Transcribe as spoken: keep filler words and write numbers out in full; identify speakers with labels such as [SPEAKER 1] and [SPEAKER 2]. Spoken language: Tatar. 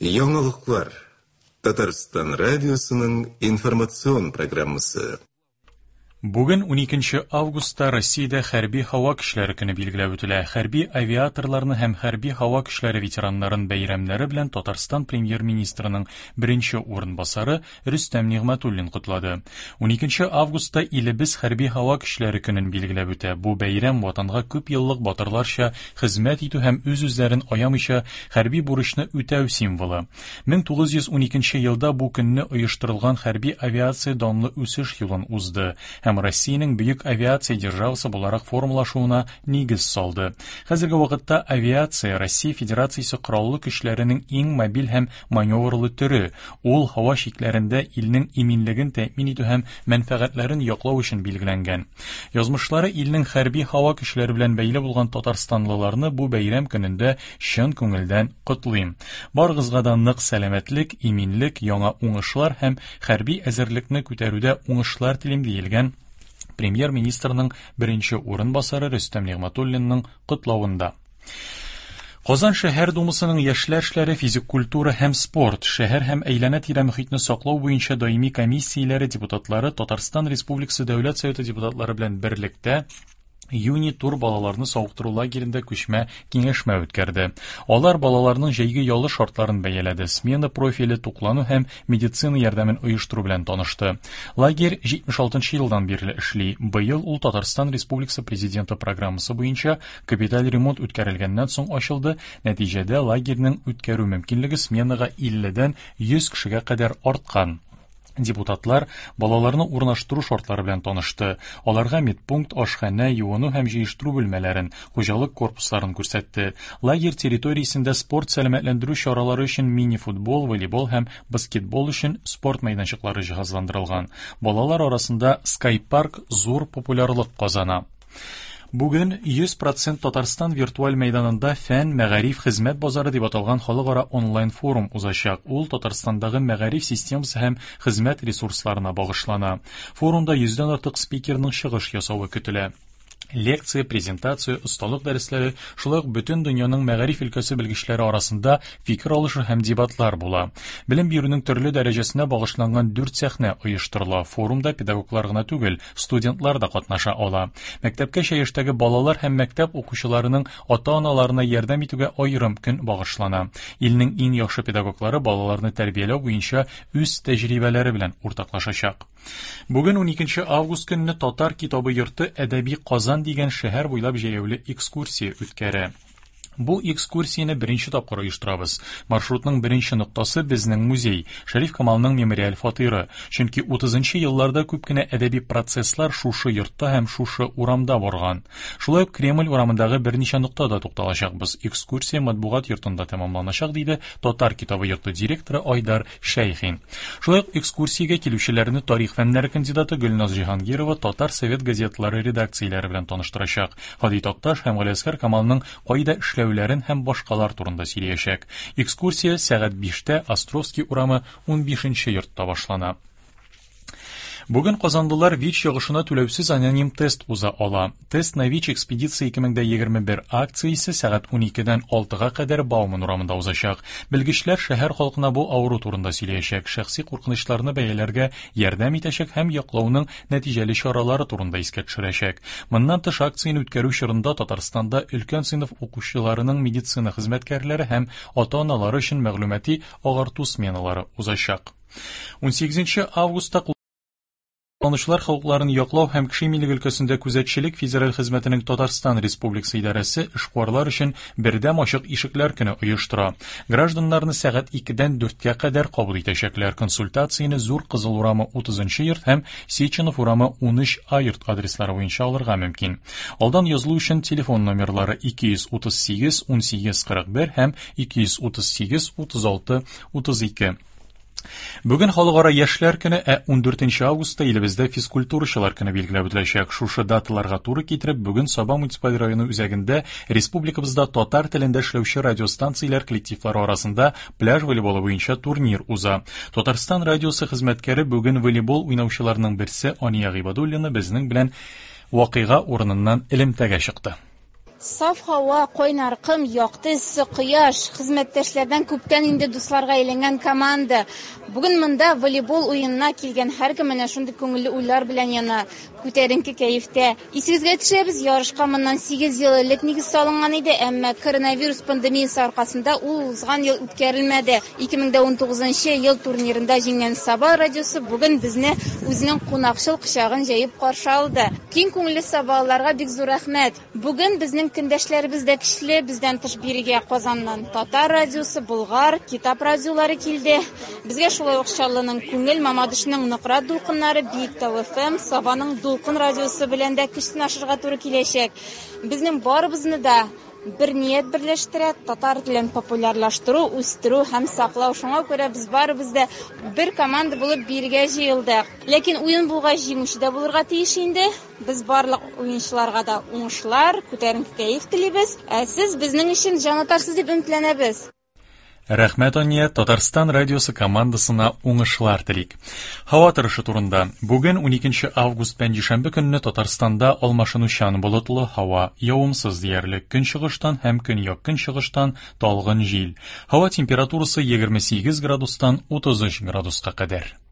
[SPEAKER 1] Яңалыклар. Татарстан радиосының информацион программасы.
[SPEAKER 2] Бүген уникенче августта Россиядә хәрби һава көчләре көне билгеләп үтелә. Хәрби авиаторларны һәм хәрби һава көчләре ветераннарын бәйрәмнәре белән Татарстан премьер-министрының беренче урынбасары Рөстәм Нигъмәтуллин котлады. Уникенче августта илебез хәрби һава көчләре көнен билгеләп үтә. Бу бәйрәм ватанга күп еллык батырларча хезмәт итү һәм үз-үзләрен аямыйча хәрби бурычны үтәү символы. мең тугыз йөз уникенче елда бу көнне оештырылган хәрби авиация данлы үсеш юлын узды һәм Россиянең бөек авиация державасы буларак формалашуына нигез салды. Хәзерге вакытта авиация Россия Федерациясе кораллы көчләренең иң мобиль һәм маневрлы төре. Ул һава чикләрендә илнең иминлеген тәэмин итү һәм мәнфәгатьләрен яклау өчен билгеләнгән. Язмышлары илнең хәрби һава көчләре белән бәйле булган татарстанлыларны бу бәйрәм көнендә чын күңелдән котлыйм. Барыгызга да нык сәламәтлек, иминлек, яңа уңышлар һәм хәрби әзерлекне күтәрүдә уңышлар телим, диелгән премьер-министрның беренче урынбасары Рөстәм Нигъмәтуллинның котлавында. Казан шәһәр думасының яшьләр эшләре, физик культура һәм спорт, шәһәр һәм әйләнә-тирә мөхитне саклау буенча даими комиссияләре депутатлары Татарстан Республикасы Дәүләт Советы депутатлары белән берлектә Юни тур балаларны савыктыру лагерендә күчмә киңәшмә үткәрде. Алар балаларның җәйге ялы шартларын бәяләде, смена профиле, туклану һәм медицина ярдәмен оештыру белән танышты. Лагерь җитмеш алтынчы елдан бирле эшли. Быел ул Татарстан Республикасы Президенты программасы буенча капиталь ремонт үткәрелгәннән соң ачылды. Нәтиҗәдә лагерьның үткәрү мөмкинлеге сменага илледән йөз кешегә кадәр арткан. Депутатлар балаларны урнаштыру шартлары белән танышты. Аларга медпункт, ашханә, юыну һәм җыештыру бүлмәләрен, хуҗалык корпусларын күрсәтте. Лагерь территориясендә спорт сәламәтләндерү чаралары өчен мини-футбол, волейбол һәм баскетбол өчен спорт мәйданчыклары җиһазландырылган. Балалар арасында скайпарк зур популярлык казана. Бүген йөз процент Татарстан виртуаль мәйданында фән, мәгариф, хезмәт базары дип аталган халыкара онлайн форум узачак. Ул Татарстандагы мәгариф системасы һәм хезмәт ресурсларына багышлана. Форумда йөздән артык спикерның чыгыш ясавы көтелә. Лекция, презентация, осталык дәресләре, шулай ук бөтен дөньяның мәгариф өлкәсе белгечләре арасында фикер алышу һәм дебатлар була. Белем бирүнең төрле дәрәҗәсенә багышланган дүрт сәхнә оештырыла. Форумда педагоглар гына түгел, студентлар да катнаша ала. Мәктәпкәчә яшьтәге балалар һәм мәктәп укучыларының ата-аналарына ярдәм итүгә аерым көн багышлана. Илнең иң яхшы педагоглары балаларны тәрбияләү буенча үз тәҗрибәләре белән уртаклашачак. Бүген уникенче август көнне Татар китабы йорты Әдәби Казан дигән шәһәр буйлап җәяүле экскурсия үткәрә. Бу экскурсияне беренче тапкыр оештырабыз. Маршрутның беренче ноктасы безнең музей, Шәриф Камалның мемориаль фатиры. Чөнки утызынчы елларда күп кенә әдәби процесслар шушы йортта һәм шушы урамда барган. Шулай ук Кремль урамындагы берничә ноктада тукталачакбыз. Экскурсия матбугат йортында тәмамланачак, диде Татар китабы йорты директоры Айдар Шәйхин. Шулай ук экскурсиягә килүчеләрне тарих фәннәре кандидаты Гөлназ Җиһангирова Татар совет газеталары редакцияләре белән таныштырачак. Һади Такташ һәм Галиәсгар Камалның кайда эшләүләрен һәм башкалар турында сөйләячәк. Экскурсия сәгать биштә Островский урамы унбишенче йортта башлана. Бүген казанлылар ВИЧ йогышына түләүсез аноним тест уза ала. Тест на ВИЧ экспедиция ике мең дә егерме бер акциясе сәгать уникедән алтыга кадәр Бауман урамында узачак. Белгечләр шәһәр халкына бу авыру турында сөйләячәк, шәхси куркынычларны бәяләргә ярдәм итәчәк һәм яклауның нәтиҗәле чаралары турында искә төшерәчәк. Моннан тыш акцияне үткәрү чорында Татарстанда өлкән сыйныф укучыларының медицина хезмәткәрләре һәм ата-аналары өчен мәгълүмати агарту сменалары узачак. Унсигезенче августта Кулланучылар хокукларын яклау һәм кеше иминлеге өлкәсендә күзәтчелек федераль хезмәтенең Татарстан Республикасы идарәсе эшкуарлар өчен бердәм ачык ишекләр көне оештыра. Гражданнарны сәгать икедән дүрткә кадәр кабул итәчәкләр. Консультацияне Зур Кызыл урамы утызынчы йорт һәм Сеченов урамы унөч А йорт адреслары буенча алырга мөмкин. Алдан язылу өчен телефон номерлары ике йөз утыз сигез унсигез кырык бер һәм ике йөз утыз сигез утыз алты утыз ике. Бүген Халыкара яшьләр көне, ә ундүртенче августта илебездә физкультурачылар көне билгеләп үтеләчәк. Шушы даталарга туры китереп, бүген Саба муниципаль районы үзәгендә республикабызда татар телендә эшләүче радиостанцияләр коллективлары арасында пляж волейболы буенча турнир уза. Татарстан радиосы хезмәткәре бүген волейбол уйнаучыларның берсе Ания Гыйбадуллина безнең белән вакыйга урыныннан элемтәгә чыкты.
[SPEAKER 3] Саф һава, кайнар ком, якты эссе кояш, хезмәттәшләрдән күптән инде дусларга әйләнгән команда. Бүген монда волейбол уенына килгән һәркем менә шундый күңелле уйлар белән яна, күтәренке кәефтә. Исегезгә төшерәбез, ярышка моннан сигез ел элек нигез салынган иде, әмма коронавирус пандемиясе аркасында ул узган ел үткәрелмәде. ике мең дә унтугызынчы ел турнирында җиңгән Саба радиосы бүген безне үзенең кунакчыл кочагын җәеп каршы алды. Киң күңелле сабалыларга бик зур рәхмәт. Бүген безнең көндәшләребез дә көчле, бездән тыш бирегә Казаннан Татар радиосы, Болгар, Китап радиолары килде. Безгә шулай ук Чаллының Күңел, Мамадышның Нократ дулкыннары, Биектау эф эм, Сабаның Дулкын радиосы белән дә көч сынашырга туры киләчәк. Безнең барыбызны да бер ният берләштерә, татар телен популярлаштыру, үстерү һәм саклау. Шуңа күрә без барыбыз да бер команда булып биргә җыелдык. Ләкин уен булгач җиңүче дә булырга тиеш инде. Без барлык уенчыларга да уңышлар, күтәренке кәеф телибез. Ә сез безнең өчен җан атарсыз дип өметләнәбез.
[SPEAKER 2] Рәхмәт, Ания, Татарстан радиосы командасына уңышлар телик. Һава торышы турында. Бүген уникенче август пәнҗешәмбе көнне Татарстанда алмашынучан болытлы һава, явымсыз диярлек, көнчыгыштан һәм көньяк-көнчыгыштан талгын җил. Һава температурасы егерме сигез градустан утыз өч градуска кадәр.